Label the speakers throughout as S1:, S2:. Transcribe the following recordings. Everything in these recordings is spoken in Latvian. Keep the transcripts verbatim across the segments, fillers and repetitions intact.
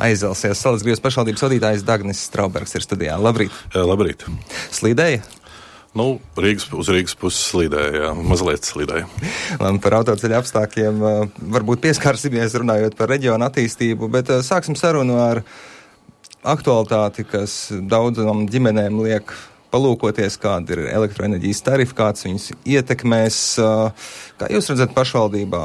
S1: aizelsies. Salacgrīvas pašvaldības vadītājs Dagnis Straubergs ir studijā. Labrīt!
S2: Jā, labrīt!
S1: Slīdēja?
S2: Nu, Rīgas, uz Rīgas puses slīdēja, jā, mazliet slīdēja.
S1: Labi, par autoceļa apstākļiem varbūt pieskārsimies runājot par reģionu attīstību, bet sāksim sarunu ar aktualitāti, kas daudzām ģimenēm liek palūkoties, kāda ir elektroenerģijas tarifa, kāds viņus ietekmēs. Kā jūs redzat pašvaldībā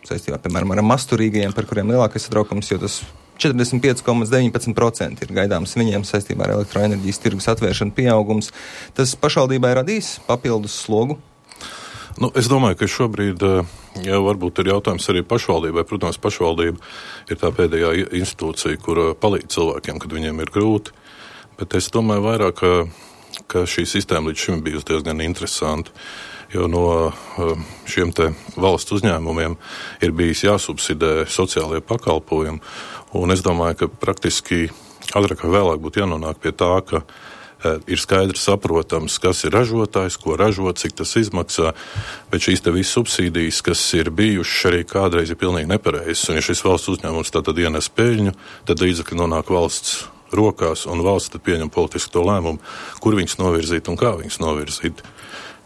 S1: saistībā, piemēram, ar masturīgajiem, par kuriem lielākais satraukums, jo tas četrdesmit pieci komats deviņpadsmit procenti ir gaidāms viņiem saistībā ar elektroenerģijas tirgus atvēršanu pieaugums. Tas pašvaldībai radīs papildus slogu?
S2: Nu, es domāju, ka šobrīd jau varbūt ir jautājums arī pašvaldībai. Protams, pašvaldība ir tā pēdējā institūcija, kur palīdz cilvēkiem, kad viņiem ir grūti. Bet es domāju vairāk, ka, ka šī sistēma līdz šim bijusi diezgan interesanta. Jo no šiem te valsts uzņēmumiem ir bijis jāsubsidē sociālie pakalpojumi. Un es domāju, ka praktiski agrāk vai vēlāk būtu jānonāk pie tā, ka e, ir skaidrs saprotams, kas ir ražotājs, ko ražo, cik tas izmaksā, bet šīs te visas subsīdijas, kas ir bijušas arī kādreiz, ir pilnīgi nepareizas. Un ja šis valsts uzņēmums tātad ienes peļņu, tad līdzekļi nonāk valsts rokās, un valsts tad pieņem politisku to lēmumu, kur viņus novirzīt un kā viņus novirzīt.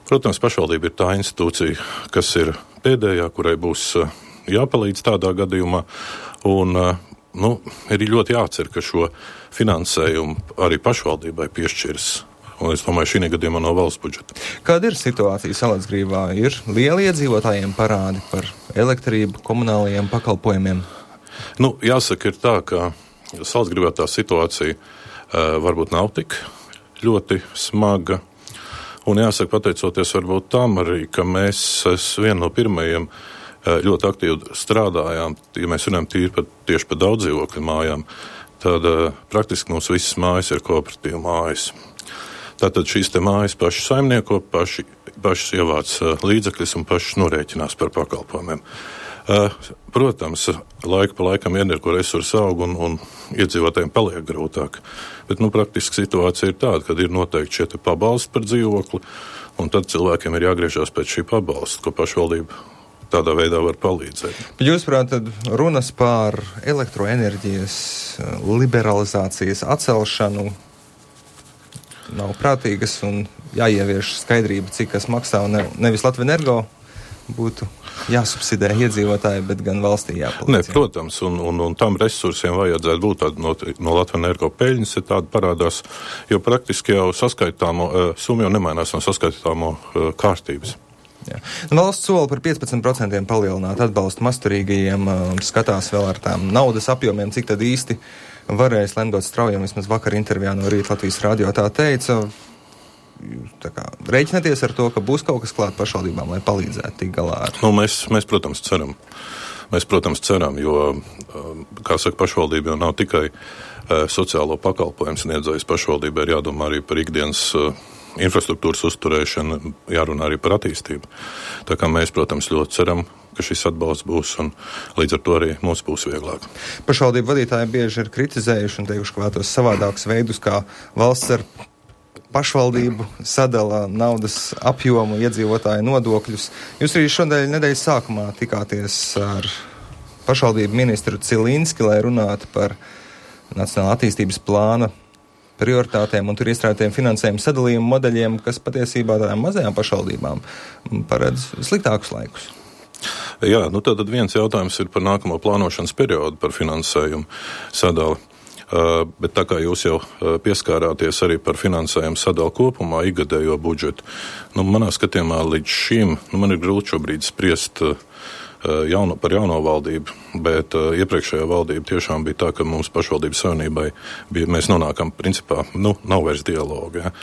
S2: Protams, pašvaldība ir tā institūcija, kas ir pēdējā, kurai būs jāpalīdz tādā gadījumā, un nu, ir ļoti jācer, ka šo finansējumu arī pašvaldībai piešķirs. Un es domāju, šī gadījumā no valsts budžeta. Kāda
S1: ir situācija Salacgrīvā? Ir lieli iedzīvotājiem parādi par elektrību, komunālajiem pakalpojumiem?
S2: Nu, jāsaka, ir tā, ka Salacgrīvā tā situācija uh, varbūt nav tik ļoti smaga. Un jāsaka, pateicoties varbūt tam arī, ka mēs vienu no pirmajiem ļoti aktīvi strādājām, ja mēs runājam tīri par, tieši par daudz dzīvokļu mājām, tad uh, praktiski mums visas mājas ir kooperatīva mājas. Tātad šīs te mājas paši saimnieko, paši, pašas ievāc uh, līdzekļus un pašas norēķinās par pakalpojumiem. Uh, protams, laika pa laikam energo resursi aug un, un iedzīvotājiem paliek grūtāk. Bet, nu, praktiski situācija ir tāda, kad ir noteikti šie pabalsti par dzīvokli, un tad cilvēkiem ir jāgriežās pēc šī pabalsta, ko pašvaldība tādā veidā var palīdzēt.
S1: Jūsuprāt, tad runas par elektroenerģijas liberalizācijas atcelšanu nav prātīgas un jāievieš skaidrība, cik kas maksā, un ne, nevis Latvenergo būtu jāsubsidē iedzīvotāji, bet gan valstī jāpalīdz.
S2: Nē, protams, un, un, un tam resursiem vajadzētu būt tādi no, no Latvenergo peļņas, ja tāda parādās, jo praktiski jau saskaitāmo, uh, summa jau nemainās no saskaitāmo uh, kārtības.
S1: Jā. Valsts sola par piecpadsmit procentiem palielināt atbalstu masturīgajiem, uh, skatās vēl ar tām naudas apjomiem, cik tad īsti varēs lemdot straujam, vismaz vakar intervijā no Rīt Latvijas radio tā teica. Tā kā rēķināties ar to, ka būs kaut kas klāt pašvaldībām, lai palīdzētu tik galā ar...
S2: Nu, mēs, mēs, protams, ceram. Mēs, protams, ceram, jo, kā saka, pašvaldība jau nav tikai uh, sociālo pakalpojumu sniedzējs. Pašvaldība ir jādomā arī par ikdienas uh, infrastruktūras uzturēšanu, jārunā arī par attīstību. Tā kā mēs, protams, ļoti ceram, ka šis atbalsts būs, un līdz ar to arī mums būs vieglāk.
S1: Pašvaldību vadītāji bieži ir kritizējuši un teikuši, ka vētos savādākus veidus, kā valsts ar pašvaldību sadala naudas apjomu, iedzīvotāju nodokļus. Jūs arī šodien nedēļas sākumā tikāties ar pašvaldību ministru Cilinski, lai runātu par Nacionālā attīstības plāna prioritātēm un tur iestrādātiem finansējuma sadalījuma modeļiem, kas patiesībā tādām mazajām pašvaldībām paredz sliktākus laikus.
S2: Jā, nu tad viens jautājums ir par nākamo plānošanas periodu, par finansējumu sadali. Uh, bet tā kā jūs jau uh, pieskārāties arī par finansējumu sadalu kopumā, ikgadējo budžetu, nu, manā skatījumā līdz šim, nu, man ir grūti šobrīd spriest uh, jauno, par jauno valdību, bet uh, iepriekšējā valdība tiešām bija tā, ka mums pašvaldības savienībai bija, mēs nonākam principā, nu, nav vairs dialoga, ja.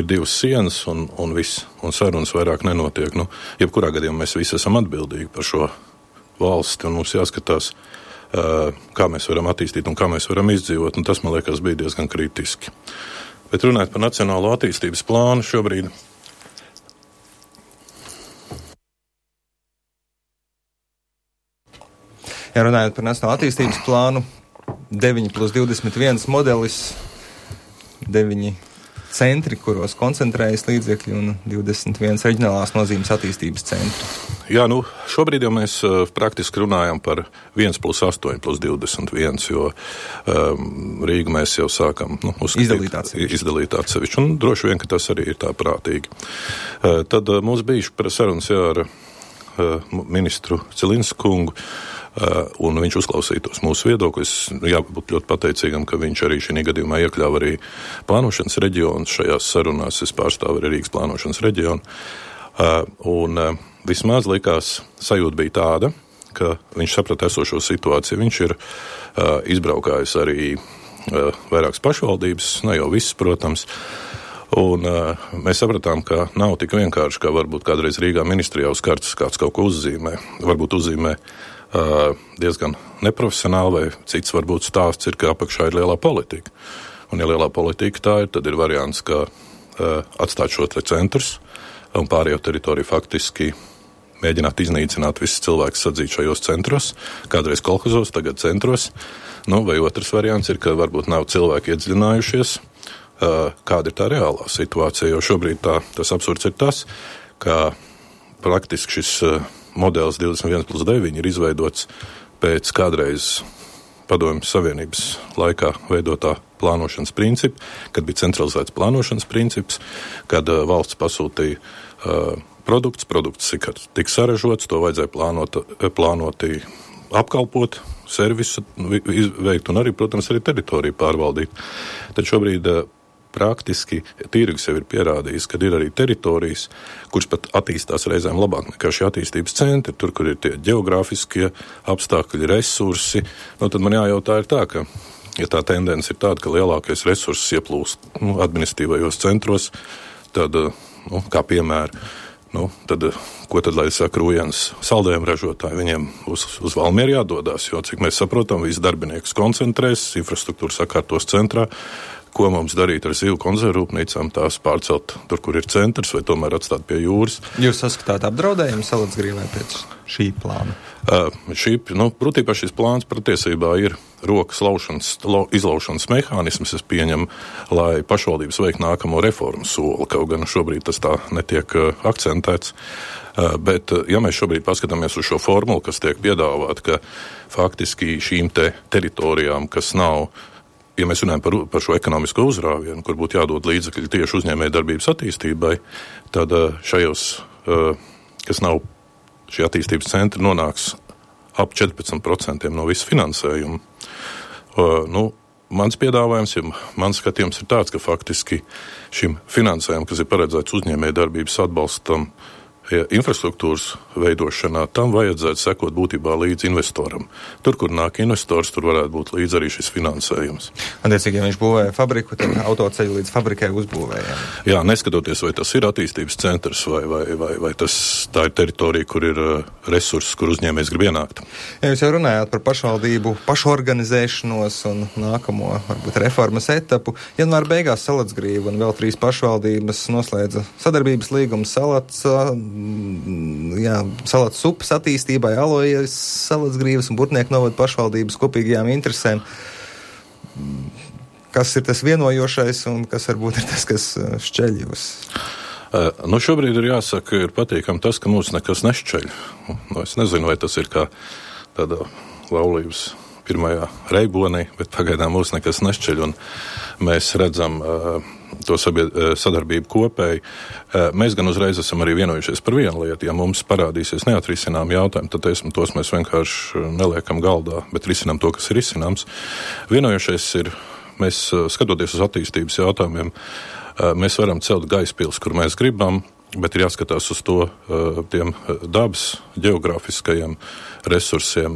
S2: Ir divas sienas un, un viss, un sarunas vairāk nenotiek. Nu, jebkurā gadījumā mēs visi esam atbildīgi par šo valsti, un mums jāskatās, kā mēs varam attīstīt un kā mēs varam izdzīvot, un tas, man liekas, bija diezgan kritiski. Bet runājot par Nacionālo attīstības plānu šobrīd.
S1: Ja runājot par Nacionālo attīstības plānu, deviņi plus divdesmit viens modelis, deviņi centri, kuros koncentrējas līdzekļi, un divdesmit viens reģionālās nozīmes attīstības centri.
S2: Jā, nu, šobrīd jau mēs uh, praktiski runājam par viens plus astoņi plus divdesmit viens, jo um, Rīgu mēs jau sākam nu,
S1: izdalīt atsevišķi.
S2: Izdalīt atsevišķi, un droši vien, ka tas arī ir tā prātīgi. Uh, tad uh, mums bija sarunas jā, ar uh, ministru Cilinsku kungu, Uh, un viņš uzklausītos mūsu viedokļus. Jābūt ļoti pateicīgam, ka viņš arī šī gadījumā iekļāva arī plānošanas reģionu. Šajās sarunās es pārstāvu arī Rīgas plānošanas reģionu. Uh, un uh, vismaz likās sajūta bija tāda, ka viņš saprata esošo situāciju. Viņš ir uh, izbraukājis arī uh, vairākas pašvaldības, ne jau visas, protams. Un uh, mēs sapratām, ka nav tik vienkārši, kā varbūt kādreiz Rīgā ministrijā uz kartes kāds kaut ko uzzīmē. Varbūt uzzīmē Uh, diezgan neprofesionāli, vai cits varbūt stāsts ir, ka apakšā ir lielā politika. Un ja lielā politika tā ir, tad ir variants, ka uh, atstāt šo te centrus un pārējo teritoriju faktiski mēģināt iznīcināt visus cilvēkus sadzīt šajos centros, kādreiz kolhozos, tagad centros. Nu, vai otrs variants ir, ka varbūt nav cilvēki iedziļinājušies, uh, kāda ir tā reālā situācija, jo šobrīd tā, tas absurds ir tas, ka praktiski šis uh, modelis divdesmit viens plus deviņi ir izveidots pēc kādreiz Padomju Savienības laikā veidotā plānošanas principa, kad bija centralizēts plānošanas princips, kad uh, valsts pasūtīja uh, produkts, produkts tika saražots, to vajadzēja plānot, plānoti apkalpot, servisu veikt un arī, protams, arī teritoriju pārvaldīt. Tad šobrīd uh, praktiski tirgus jau ir pierādījis, ka ir arī teritorijas, kuras pat attīstās reizēm labāk nekā šie attīstības centri, tur, kur ir tie geogrāfiskie apstākļi, resursi. Nu, tad man jājautā ir tā, ka, ja tā tendence ir tāda, ka lielākais resurss ieplūst nu, administratīvajos centros, tad, nu, kā piemēra, nu, tad, ko tad, lai saka, Rūjens saldējumu ražotāji, viņiem uz, uz Valmieru jādodās, jo, cik mēs saprotam, visi darbiniekus koncentrēs, infrastruktūra sakārtos centrā, ko mums darīt ar zivu konzervrūpnīcām, tās pārcelt tur, kur ir centrs, vai tomēr atstāt pie jūras.
S1: Jūs saskatāt apdraudējumu Salacgrīvai pēc šī plāna?
S2: Uh, šī, nu, protībā šis plāns patiesībā ir rokas laušanas, lau, izlaušanas mehānisms, es pieņemu, lai pašvaldības veikt nākamo reformu soli, kaut gan šobrīd tas tā netiek uh, akcentēts. Uh, bet, uh, ja mēs šobrīd paskatāmies uz šo formulu, kas tiek piedāvāt, ka faktiski šīm te teritorijām, kas nav, ja mēs runājam par, par šo ekonomisko uzrāvienu, kur būtu jādod līdzekļi tieši uzņēmēju darbības attīstībai, tad šajos, kas nav šie attīstības centri, nonāks ap četrpadsmit procenti no visu finansējumu. Nu, mans piedāvājums, ja mans skatījums ir tāds, ka faktiski šim finansējumam, kas ir paredzēts uzņēmēju darbības atbalstam, ja infrastruktūras veidošanā, tam vajadzētu sekot būtībā līdz investoram. Tur, kur nāk investors, tur varētu būt līdz arī šis finansējums.
S1: Attiecīgi, ja viņš būvēja fabriku, tad autoceļu līdz fabrikai uzbūvēja.
S2: Jā, neskatoties, vai tas ir attīstības centrs, vai, vai, vai, vai tas, tā ir teritorija, kur ir uh, resursi, kur uzņēmējs grib ienākt.
S1: Ja jūs jau runājāt par pašvaldību pašorganizēšanos un nākamo, varbūt, reformas etapu, janvāra beigās Salacgrīva un vēl trīs pašvaldības noslēdza sadarbības līgumu Salats, jā, Salats upes attīstībai, Alojas, Salacgrīvas un Burtnieku novada pašvaldības kopīgajām interesēm. Kas ir tas vienojošais un kas varbūt ir tas, kas šķeļ jūs?
S2: Uh, nu šobrīd ir jāsaka, ir patīkam tas, ka mūs nekas nešķeļ. Nu, es nezinu, vai tas ir kā tāda laulības pirmajā reibonī, bet pagaidām mūs nekas nešķeļ, un mēs redzam uh, to sabied, sadarbību kopēji. Uh, mēs gan uzreiz esam arī vienojušies par vienu lietu. Ja mums parādīsies neatrisinām jautājumu, tad esmu, tos mēs vienkārši neliekam galdā, bet risinām to, kas ir risināms. Vienojušies ir, mēs skatoties uz attīstības jautājumiem, uh, mēs varam celt Gaispils, kur mēs gribam, bet ir jāskatās uz to tiem dabas, geogrāfiskajiem resursiem,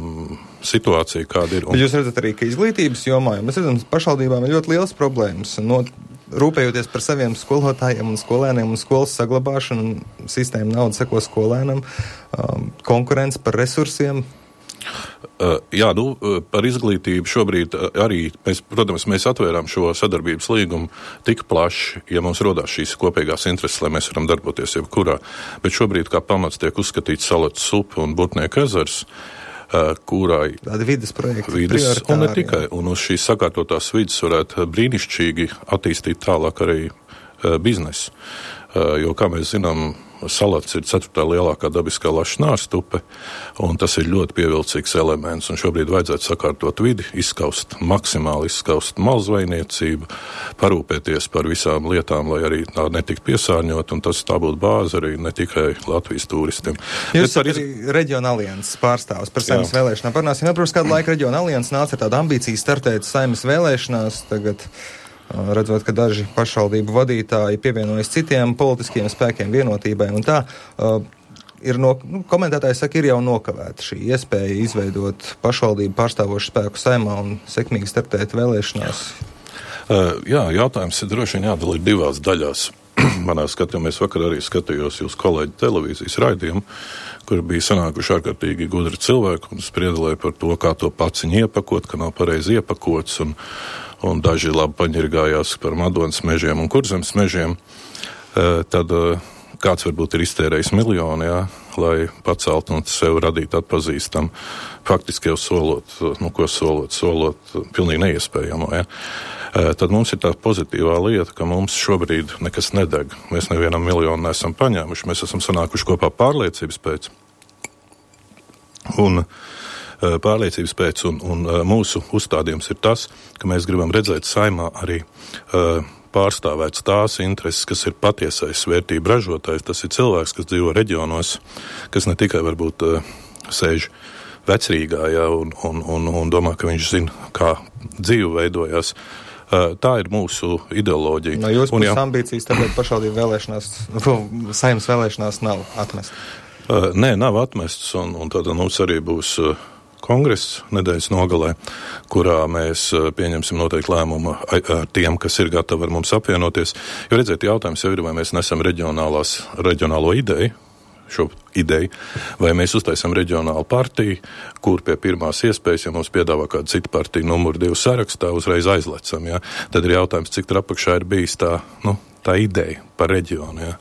S2: situācija, kāda ir. Un...
S1: Jūs redzat arī, ka izglītības jomā, jo mēs redzam, pašvaldībām ir ļoti liels problēmas. No, rūpējoties par saviem skolotājiem un skolēniem un skolas saglabāšanu, sistēma nauda seko skolēnam, um, konkurence par resursiem.
S2: Uh, jā, nu, par izglītību šobrīd arī, mēs, protams, mēs atvērām šo sadarbības līgumu tik plaši, ja mums rodās šīs kopīgās intereses, lai mēs varam darboties jebkurā. Bet šobrīd kā pamats tiek uzskatīts Salats upe un Burtnieku ezers, uh, kurai
S1: tāda vides projekta
S2: vides, un ne tikai, un uz šīs sakārtotās vides varētu brīnišķīgi attīstīt tālāk arī uh, biznesu. Uh, jo, kā mēs zinām, Salats ir ceturtā lielākā dabiskā laša nārstupe, un tas ir ļoti pievilcīgs elements. Un šobrīd vajadzētu sakārtot vidi, izskaust, maksimāli izskaust malzvejniecību, parūpēties par visām lietām, lai arī tā netiktu piesārņot, un tas tā būtu bāze arī ne tikai Latvijas turistiem.
S1: Jūs esat arī Reģiona alianses pārstāvs par Saeimas vēlēšanām. Parunāsim, protams, kādu laiku Reģiona alianses nāca ar tādu ambīciju startēt Saeimas vēlēšanās. Tagad redzot, ka daži pašvaldību vadītāji pievienojas citiem politiskiem spēkiem, vienotībai un tā, uh, ir no, nu, komentētāji saka, ir jau nokavēta šī iespēja izveidot pašvaldību pārstāvošu spēku Saeimā un sekmīgi startēt vēlēšanās.
S2: Uh, jā, jautājums ir droši vien jādalīt divās daļās. Manā skatījumā es vakar arī skatījos jūs kolēģi televīzijas raidījumu, kur bija sanākuši ārkārtīgi gudri cilvēki un spriedalēja par to, kā to paciņu iepakot, ka nav pareizi iepakots, un, un daži labi paņirgājās par Madonas mežiem un Kurzemes mežiem. E, tad e, kāds varbūt ir iztērējis miljonu, jā, lai pacelt un sev radīt atpazīstam, faktiski jau solot, nu ko solot, solot pilnīgi neiespējamo, jā. E, tad mums ir tā pozitīvā lieta, ka mums šobrīd nekas nedeg. Mēs nevienam miljonu neesam paņēmuši, mēs esam sanākuši kopā pārliecības pēc. Un pārliecības pēc, un, un mūsu uzstādījums ir tas, ka mēs gribam redzēt Saeimā arī uh, pārstāvēts tās intereses, kas ir patiesais vērtību ražotājs. Tas ir cilvēks, kas dzīvo reģionos, kas ne tikai varbūt uh, sēž vecrīgā, jā, un, un, un, un domā, ka viņš zina, kā dzīve veidojās. Uh, tā ir mūsu ideoloģija.
S1: No jūsu puses ambīcijas tāpēc pašvaldību vēlēšanās, Saeimas vēlēšanās nav atmestas?
S2: Uh, nē, nav atmestas, un, un tad mums arī būs uh, kongress nedēļas nogalē, kurā mēs pieņemsim noteikti lēmumu ar tiem, kas ir gatavi ar mums apvienoties. Jo redziet, jautājums jau ir, vai mēs nesam reģionālo ideju, šo ideju, vai mēs uztaisam reģionālu partiju, kur pie pirmās iespējas, ja mums piedāvā kāda cita partija numuru divu sarakstā, uzreiz aizlecam. Ja? Tad ir jautājums, cik tur apakšā ir bijis tā, nu, tā ideja par reģionu. Ja?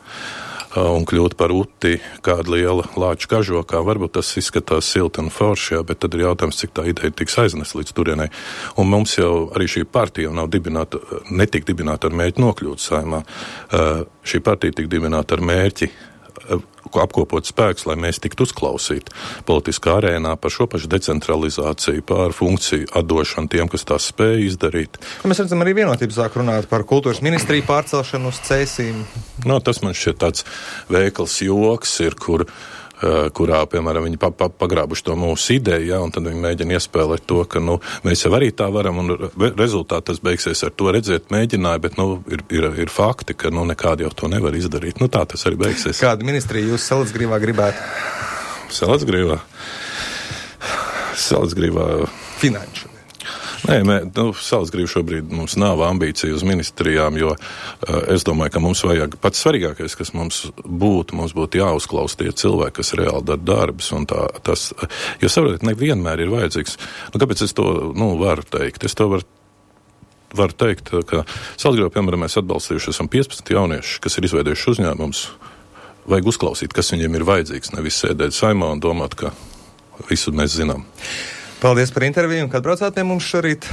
S2: Un kļūt par uti kāda liela lāču kažokā. Varbūt tas izskatās silti un forši, jā, bet tad ir jautājums, cik tā ideja tiks aiznest līdz turienei. Un mums jau arī šī partija nav dibināta, netika dibināta ar mērķi nokļūt Saeimā. Uh, šī partija tika dibināta ar mērķi uh, apkopot spēks, lai mēs tiktu uzklausīti politiskā arēnā par šo pašu decentralizāciju, par funkciju atdošanu tiem, kas tās spēja izdarīt.
S1: Mēs redzam, arī vienotību sāk runāt par kultūras ministriju pārcelšanu uz Cēsīm.
S2: No, tas man šķiet tāds veikals joks ir, kur, uh, kurā, piemēram, viņi pa, pa, pagrābuši to mūsu ideju, ja, un tad viņi mēģina iespēlēt to, ka, nu, mēs jau arī tā varam, un rezultāti tas beigsies ar to redzēt mēģināju, bet, nu, ir, ir, ir fakti, ka, nu, nekādi jau to nevar izdarīt. Nu, tā tas arī beigsies.
S1: Kāda ministrija jūs Salacgrīvā gribētu?
S2: Salacgrīvā? Salacgrīvā...
S1: Finanšu.
S2: Nē, mē, nu, Salacgrīva šobrīd mums nav ambīcija uz ministrijām, jo uh, es domāju, ka mums vajag pats svarīgākais, kas mums būtu, mums būtu jāuzklaus tie cilvēki, kas reāli dara darbus, un tā, tas, jo saprotiet, nevienmēr ir vajadzīgs. Nu, kāpēc es to, nu, varu teikt? Es to varu, varu teikt, ka Salacgrīvā, piemēram, mēs atbalstījuši esam piecpadsmit jaunieši, kas ir izveidojuši uzņēmumus. Vajag uzklausīt, kas viņiem ir vajadzīgs, nevis sēdēt Saeimā un domāt, ka visu mēs zinām.
S1: Paldies par interviju, un kad braucāt pie mums šorīt?